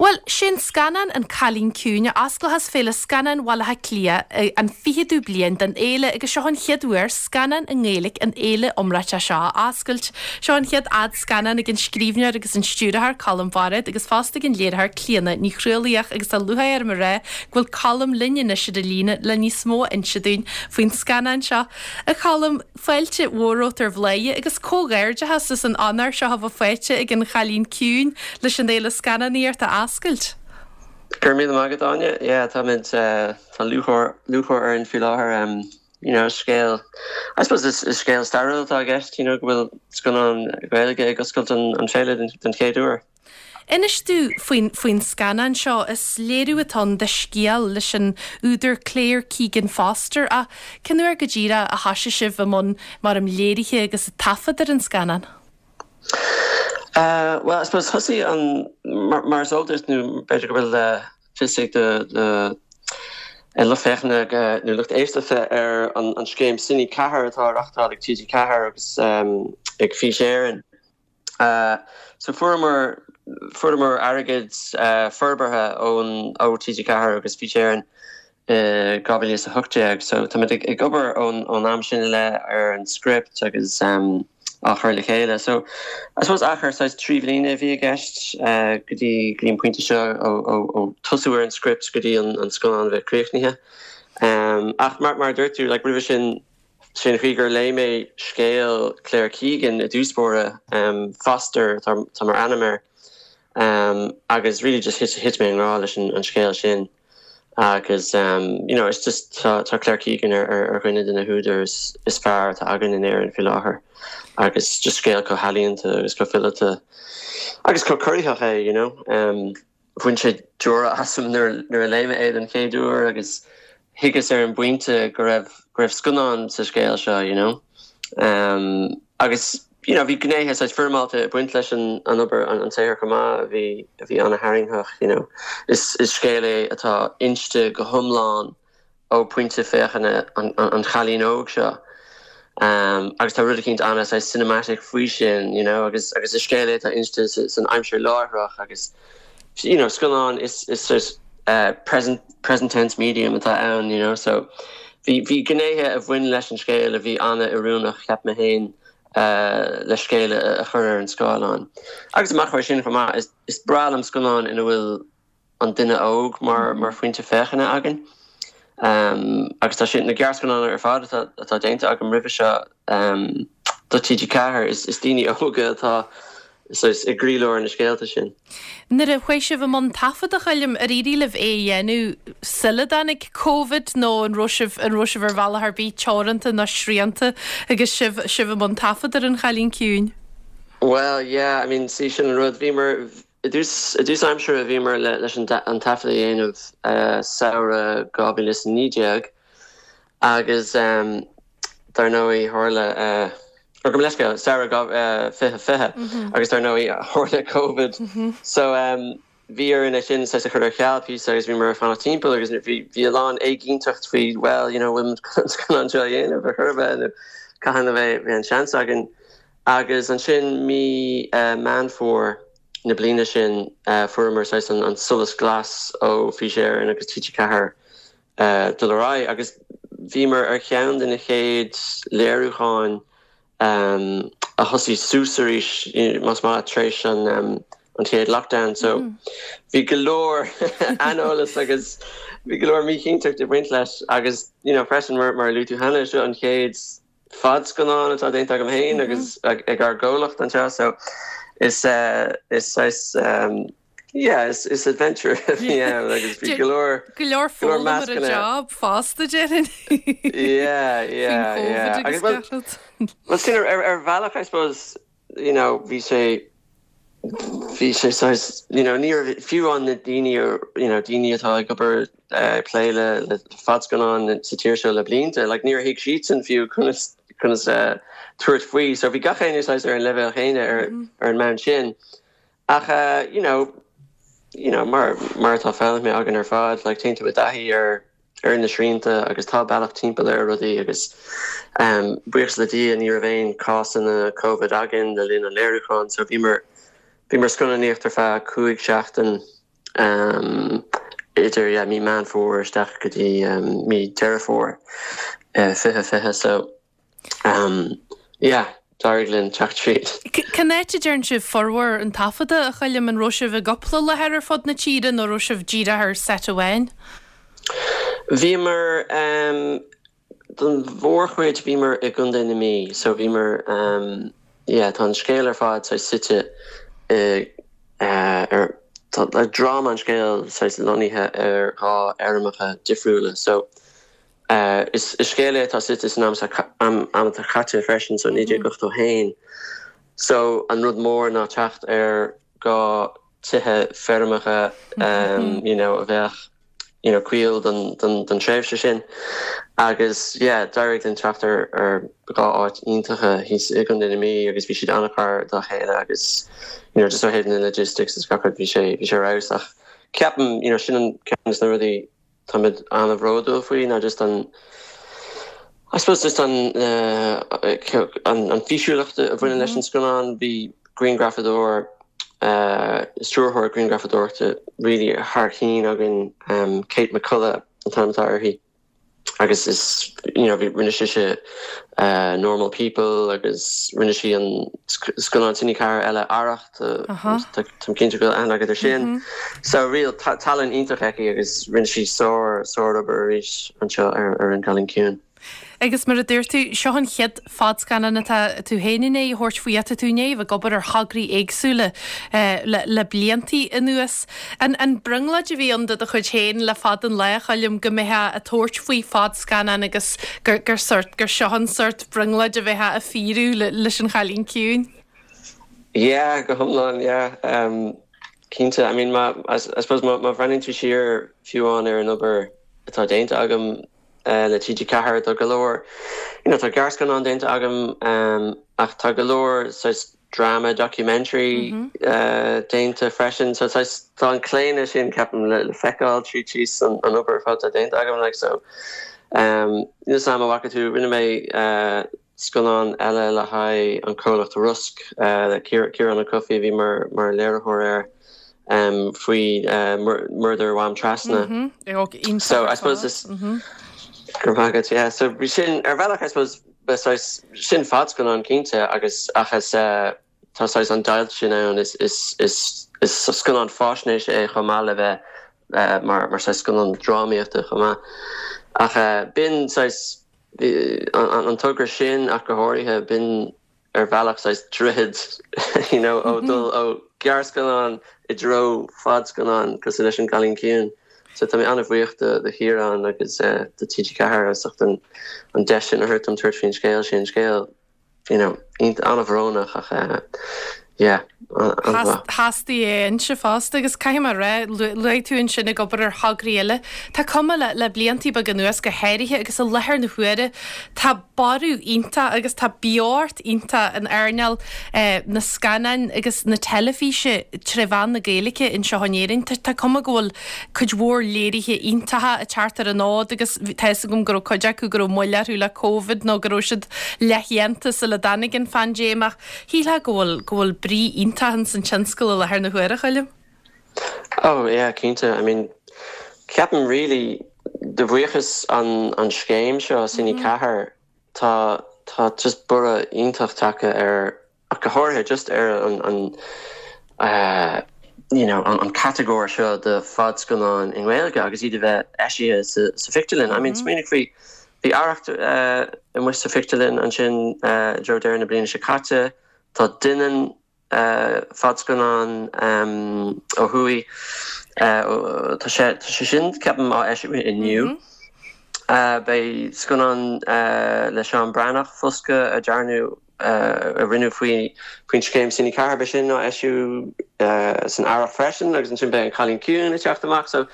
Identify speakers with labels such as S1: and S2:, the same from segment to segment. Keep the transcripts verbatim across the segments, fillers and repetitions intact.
S1: Bhuel, sin scannán An Cailín Ciúin a osclóchas Féile Scannán Bhaile Átha Cliath an fichiú bliain den fhéile agus seo an chéad uair scannán i nGaeilge an fhéile iomráiteach seo a oscailt. Seo an chéad fhadscannán ag an scríbhneoir agus an stiúrthóir Colm Bairéad agus fosta ag an léiritheoir Clíona Ní Chrualaoich agus tá lúcháir orm a rá go bhfuil Colm linn anois ar an líne le níos mó a inse dúinn faoin scannán seo. A Cholm fáilte mhór romhat ar Bhladhaire agus comhghairdeachas as an onóir seo a bheith faighte ag an Chailín Ciúin leis an fhéile scannánaíochta a oscailt.
S2: Gur mí agad Áine tá tá lúcháir lúcháir orainn faoi láthair um, you know, scéal I suppose is, is scéal stairiúil atá i gceist you know, go bhfuil scannán Gaeilge ag oscailt an, an féile den, den chéad uair.
S1: Inis dúinn faoin faoin scannán seo is léiriú atá de scéal leis an údar Claire Keegan Foster a cén uair go díreach a thosaigh sibh i mbun mar am léirithe agus taifead ar an scannán.
S2: Uh, well, I suppose thosaigh an mar, mar is eol duit nó b'fhéidir go bhfuil uh, fios ag de de lucht féachana nó lucht éisteachta ar an, an scéim Cine Ceathair atá reáchtáil ag TG Ceathair agus um, ag Fís Éireann. Uh, so fuaireamar fuaireamar airgead uh, forbartha ón ó TG Ceathair agus Fís Éireann uh, dhá mhíle a hocht déag, so tá ag, ag obair ón ón am sin le ar an script agus um, á chur le chéile. So I suppose achar saghas trí bliana a bhí i gceist uh, go dtí go dtí an pointe seo ó tosú ar an script go dtí an, an scannán bheith críochnaithe. Um, ach mar mar dúirt tú like, roimhe sin sin chuig gur léigh mé scéal Claire Keegan i dtús báire um, Foster tá tá mar ainm air um, agus really just thit thit mé i ngrá leis an, an scéal sin. agus um, you know, it's just tá, tá Claire Keegan ar ar, ar dhuine de na húdair is, is fearr atá againn in Éirinn faoi láthair agus just scéal chomh healaíonta agus chomh fileata agus chomh corraitheach é you know um, bhain sé deora asam nuair nuair a léigh mé é den chéad uair agus thuigeas ar an bpointe go raibh go raibh scannán sa scéal seo you know um, agus you know, bhí gnéithe saghas foirmeálta ag baint leis an an obair an, an saothar chomh maith a bhí a bhí an-tharraingteach you know. Is, is scéal é atá inste go hiomlán ó pointe féachana an, an, an chailín óg seo. Um, agus tá rud éicint ana saghas cinematic faoi sin you know, agus agus is scéal é atá inste san aimsir láithreach agus you know, scannán is is is uh, present present tense medium atá ann you know, so bhí bhí gnéithe a bhain leis an scéal a bhí an-oiriúnach cheap mé féin uh, le scéal a chur ar an scáileán. Agus amach chuir sin chomh is, is breá liom scannán ina bhfuil an duine óg mar mar phointe féachana againn. Um, agus tá sin na gearrscannáin ar fad atá atá déanta agam roimhe seo um, do TG Ceathair is, is daoine óga atá so is i gcroílár na scéalta sin.
S1: Nuair a chuaigh sibh i mbun taifead a Choilm ar éirigh libh é a dhéanamh sula dtáinig COVID nó an raibh sibh an raibh sibh ar bhealach ar bith teoranta nó srianta agus sibh sibh i mbun taifead ar an Chailín Ciúin.
S2: Well, yeah, I mean sí sin an rud bhíomar i dtús i dtús aimsire a bhíomar le, leis an, an taifead a dhéanamh uh, samhradh dhá mhíle is naoi déag agus um, dar ndóigh tharla uh, Or go leis samhradh uh, fiche fiche agus dar ndóigh tharla COVID. Mm -hmm. So um, bhí orainn sin saghas a chur ar ceal píosa agus bhí mar fanna timpeall agus bhí bhí a lán éiginnteacht faoi well you know an seo dhéanamh a churbe nó cathain a bheidh bhí an seans againn agus ansin mí uh, Meán Fómhair na bliana sin uh, fuaireamar saghas an, an solas glas ó Fís Éireann agus TG Ceathair uh, dul ar aghaidh agus bhíomar ar cheann de na chéad léiriúcháin um, a thosaigh suas arís más maith tar éis an um, an chéad lockdown so mm. bhí go leor aineolas agus bhí go leor míchinnteacht ag baint leis agus you know, freisin mar mar luaigh tú cheana seo an chéad fadscannán atá déanta agam féin mm -hmm. agus ag, ag ár gcomhlacht anseo so is uh, is is um, yeah is is adventure yeah agus bhí go leor
S1: Go leor foghlaim ar an job fosta déarfainn.
S2: yeah yeah yeah agus well, well sin ar ar bhealach I suppose you know bhí sé bhí sé saghas you know ní fiú an na daoine you know daoine atá ag obair uh, plé le le fadscannán sa tír seo le blianta like níor thuig siadsan fiú conas conas uh, tabhairt faoi so bhí gach éinne saghas ar an leibhéal céanna ar mm -hmm. ar an mbonn sin ach uh, you know you know mar mar atá foghlaimthe againn ar fad like téann tú i dtaithí ar ar na srianta agus tá bealach timpeall ar rudaí agus um, buíochas le Dia ní raibh aon cásanna COVID againn le linn an léiriúcháin so bhíomar bhíomar scannánaíocht ar feadh cúig seachtain um, idir yeah, mí Meán Fómhair isteach go dtí um, mí Deireadh Fómhair uh, fiche fiche so um, yeah, d'éirigh linn teacht tríd.
S1: Cén áit a ndearna sibh formhór an taifeadta a Choilm an raibh sibh i gcúpla láthair ar fud na tíre nó raibh sibh dírithe ar seit amháin?
S2: Bhíomar um, don mhórchuid bhíomar i gContae na Mí, so bhíomar um, yeah, tá an scéal ar fad sa suite uh, ar le dráma an scéal lonnaithe ar dhá fheirmeacha difriúla so uh, is, is scéal é atá suite san am am atá caite freisin so naoi déag ochtó haon so an rud mór ná teacht ar dhá tithe feirmeacha um, you know, a bheadh you know, cuí don, don, don tréimhse sin agus yeah, d'éirigh linn teacht ar ar dhá áit iontacha thíos i gContae na Mí agus bhí siad an-ghar dá chéile agus you know, just ó thaobh na logistics is gach bhí sé bhí sé ach ceapaim you know, sin an ceann na rudaí táimid an-bhródúil faoi ná just an I suppose just an uh, an, an físiúlacht a bhaineann leis an scannán bhí grianghrafadóir uh, stiúrthóir grianghrafadóireachta really thar cinn againn um, Kate McCullough an t-ainm atá uirthi agus is you know, rinne sí uh, normal people agus rinne sí an scannán Cine Ceathair eile Arracht Tá cinnte go an agad sin mm -hmm. so real talent iontach aici agus rinne sí sár sárobair arís anseo ar ar an Cailín Ciúin.
S1: Agus mar a dúirt tú seo an chéad fadscannán atá tú féin i ndiaidh thabhairt faoi tá tú i ndiaidh ag obair ar thograí éagsúla eh, le, le bliantaí anuas. An, an brionglóid a bhí ann do do chuid féin le fada an lá a Choilm go mbeifeá ag tabhairt faoi fadscannán agus gur, gur sort gur seo an sort brionglóid a bheith ag fíorú le, leis an Chailín Ciúin.
S2: Yeah, go hiomlán yeah. Um, Cinnte I mean ma I, I suppose má bhreathnaíonn tú siar fiú amháin ar an obair atá déanta agam uh, le TG Ceathair tá go leor you know, tá gearrscannán déanta agam um, ach tá go leor drama documentary mm -hmm. uh, déanta freisin so tá an claonadh sin ceapaim le, le feiceáil trí trí an, an obair atá déanta agam like so um, sam bhfaca tú rinne mé uh, scannán eile le haghaidh an comhlacht Rosc uh, le Ciarán Ó Cofaigh bhí mar mar léiritheoir air um, faoi uh, murder Mhám Trasna.
S1: Mm -hmm.
S2: So I suppose this mm -hmm. Go yeah. so bhí sin ar bhealach I suppose sin fadscannán cinnte agus achas uh, tá an deighilt sin ann is is is is scannán faisnéise é chomh maith le bheith uh, mar mar scannán drámaíochta chomh maith. Ach uh, b'in an, an togra sin ach go háirithe b'in ar bhealach droichead you know, ó mm -hmm. ó gearrscannán i dtreo fadscannán cosúil leis an Cailín Ciúin. So tá mé an-bhuíoch de de Chiarán agus uh, de TG Ceathair as an an deis sin a thabhairt dom tabhairt faoin scéal sin scéal you know, an-bhrónach ach uh, yeah,
S1: Theastaigh é inse fosta agus caithfidh mé rá luaigh tú ansin ag obair ar thograí eile. Tá cuma le le bliantaí beaga anuas go háirithe agus i láthair na huaire Tá borradh iontach agus tá beocht iontach in earnáil eh, na scannán agus na teilifíse trí mheán na Gaeilge anseo in Éirinn. Tá cuma go bhfuil cuid mhór léirithe iontacha ag teacht ar an fhód agus tá gom go cuid acu go raibh moill orthu le COVID nó go raibh siad leathdhéanta sula dtáinig an phaindéim ach shílfeá go bhfuil go bhfuil brí iontach san tionscal i láthair na huaire a Choilm?
S2: Oh yeah, cinnte. I mean ceapaim really de bhuíochas an an scéim seo Cine mm -hmm. Ceathair tá tá just borradh iontach tagtha ar ach go háirithe just ar an an uh, you know, an, an catagóir seo de fadscannán i nGaeilge agus iad a bheith eisithe sa, sa phictiúrlann. I mean mm -hmm. smaoinigh faoi bhí Arracht uh, amuigh sa phictiúrlann ansin uh, deireadh na bliana seo caite tá Doineann uh, fadscannán um, ó thuaidh uh, tá sé sé sin ceapaim á eisiú inniu. Mm -hmm. Uh, Beidh scannán uh, le Seán Breathnach Foscadh a dearnadh uh, a rinneadh faoi faoin scéim Cine Ceathair sin á eisiú uh, san earrach freisin agus ansin beidh an Cailín Ciúin ag teacht amach so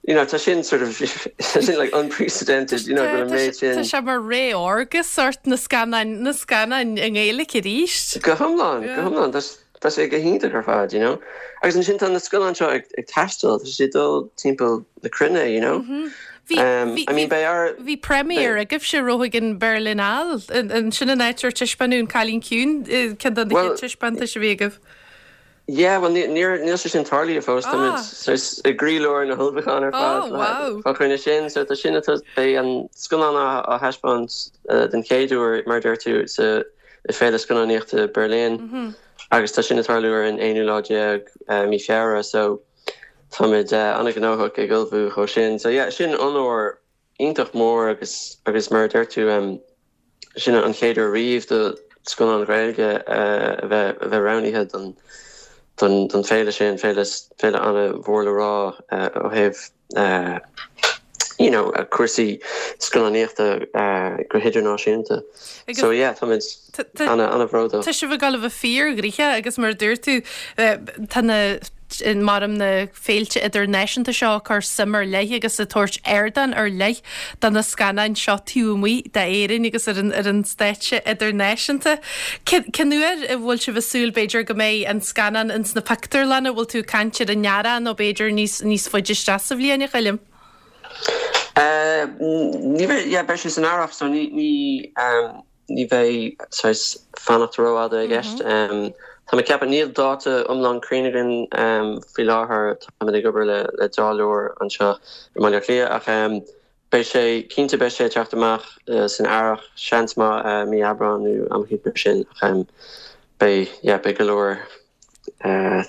S2: you know tá sin sort of sin like unprecedented you know go méid sin
S1: Tá sé mar ré órga sort na scannáin na scannáin i nGaeilge arís.
S2: Go hiomlán go hiomlán Tá sé go hiontach ar fad you know agus ansin tá na scannáin seo ag, ag taisteal tá sé dul timpeall na cruinne you know mm
S1: -hmm. Bhí um, I mean bhí premiere agaibhse romhaibh in Berlinale an sin an áit ar taispeánadh an Cailín Ciúin ceann de na taispeántais a bhí agaibh.
S2: Yeah, well níl níl sé sin tarlaithe fós ah. i gcroílár na hullmhúchán ar fad
S1: oh,
S2: fá choinne sin so tá sin beidh an scannán á thaispeáint uh, den chéad uair mar deir tú sa Féile Scannánaíochta Berlin mm -hmm. agus tá sin ag tarlú ar an aonú lá déag uh, mí Feabhra so táimid uh, an-ghnóthach ag ullmhú dó sin so yeah, sin onóir iontach mór agus agus mar deir tú um, sin an chéad uair riamh do scannán Gaeilge uh, a bheith a bheith roghnaithe don don don féile sin féile féile an-mhór le rá uh, ó thaobh uh, you know a cúrsaí scannánaíochta uh, go hidirnáisiúnta. So yeah táimid ana an-bhródúil.
S1: Tá sibh ag gabháil a bheith fíorghnoitheach agus mar dúirt tú tá na mar na féilte idirnáisiúnta seo cur suim ar leith agus ag tabhairt ardán ar leith do na scannáin seo taobh amuigh d'Éirinn agus ar an ar an stáitse idirnáisiúnta. Cén uair a bhfuil sibh ag súil b'fhéidir go mbeidh an scannán ins na pictiúrlanna bhfuil tú caint ar an earrach nó b'fhéidir níos níos faide isteach sa bhliain a Choilm?
S2: Uh, ní bheidh sé san earrach so ní ní um, ní bheidh fanacht rófhada i gceist. Mm -hmm. um, Tá mé ceapadh níl dáta iomlán cruinn againn um, faoi láthair tá ag obair le le dáileoir anseo i mBaile Átha Cliath ach um, beidh sé cinnte beidh sé teacht amach uh, san earrach seans maith uh, mí Aibreán nó am mar sin ach um, beidh yeah, beidh go leor uh,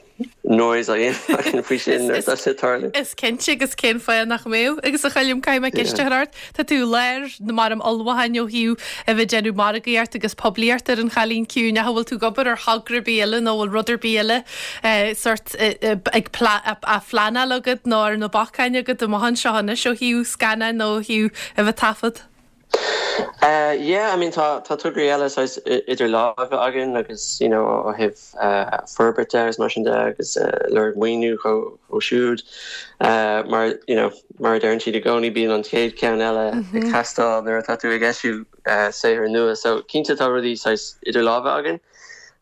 S2: noise a faoi sin tarlú.
S1: Is cinnte agus cén fáth nach mbeadh agus a Choilm caithfidh mé ceist a chur ort Tá tú léir na mar am olhain ó hiú a bheith déanamh margaíocht agus poiblíocht ar an Chailín Ciúin a bhfuil tú ag obair ar thogra ar bith eile nó bhfuil rud ar bith eile sort ag a phleanáil agat nó ar na bacáin agat amach anseo anois ó thaobh scannán nó ó thaobh a bheith taifead.
S2: Uh, yeah, I mean tá tá tograí eile idir lámha againn agus you know ó thaobh uh, forbairt agus mar sin de agus uh, lorg maoiniú ó siúd uh, mar you know mar deireann siad i gcónaí bíonn an chéad ceann eile mm -hmm. ag teastáil nuair atá tú ag eisiú uh, saothar nua so cinnte tá rudaí idir lámha againn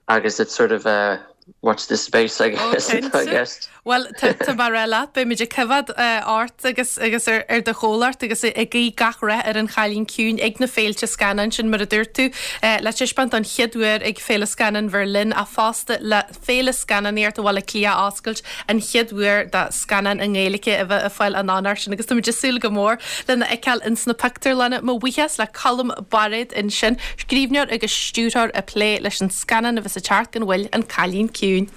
S2: agus it's sort of uh, watch this space I guess oh, I guess.
S1: Well tá mar eile beimid ag coimhéad ort agus agus ar ar do chomhlacht agus ag guí gach rath ar an Chailín Ciúin ag na féilte scannán sin mar a dúirt tú le taispeáint an chéad uair ag Féile Scannán Berlin a fosta le Féile Scannánaíochta Bhaile Átha Cliath a oscailt an chéad uair do scannán i nGaeilge a bheith ag fáil an onóir sin agus tá súil go mór lena fheiceáil ins na pictiúrlanna mo bhuíochas le Colm Bairéad ansin scríbhneoir agus stiúrthóir ag plé leis an scannán a bheas ag teacht gan mhoill an Cailín Ciúin.